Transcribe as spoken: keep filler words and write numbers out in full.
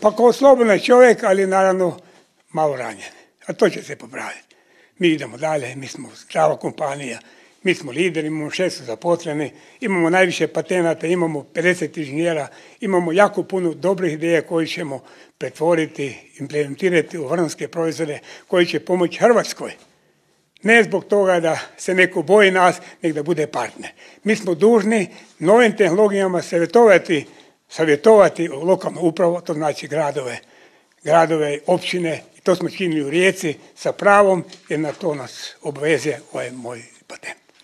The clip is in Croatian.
Pa kao slobodan čovjek, ali naravno malo ranjen. A to će se popraviti. Mi idemo dalje, mi smo zdrava kompanija, mi smo lideri, imamo šest zaposleni, imamo najviše patenata, imamo pedeset inženjera, imamo jako puno dobrih ideja koje ćemo pretvoriti, implementirati u vrhunske proizvode koji će pomoći Hrvatskoj. Ne zbog toga da se neko boji nas, nego da bude partner. Mi smo dužni novim tehnologijama savjetovati, savjetovati lokalnu upravu, to znači gradove, gradove, općine. I to smo činili u Rijeci sa pravom, jer na to nas obvezuje ovaj moj patent.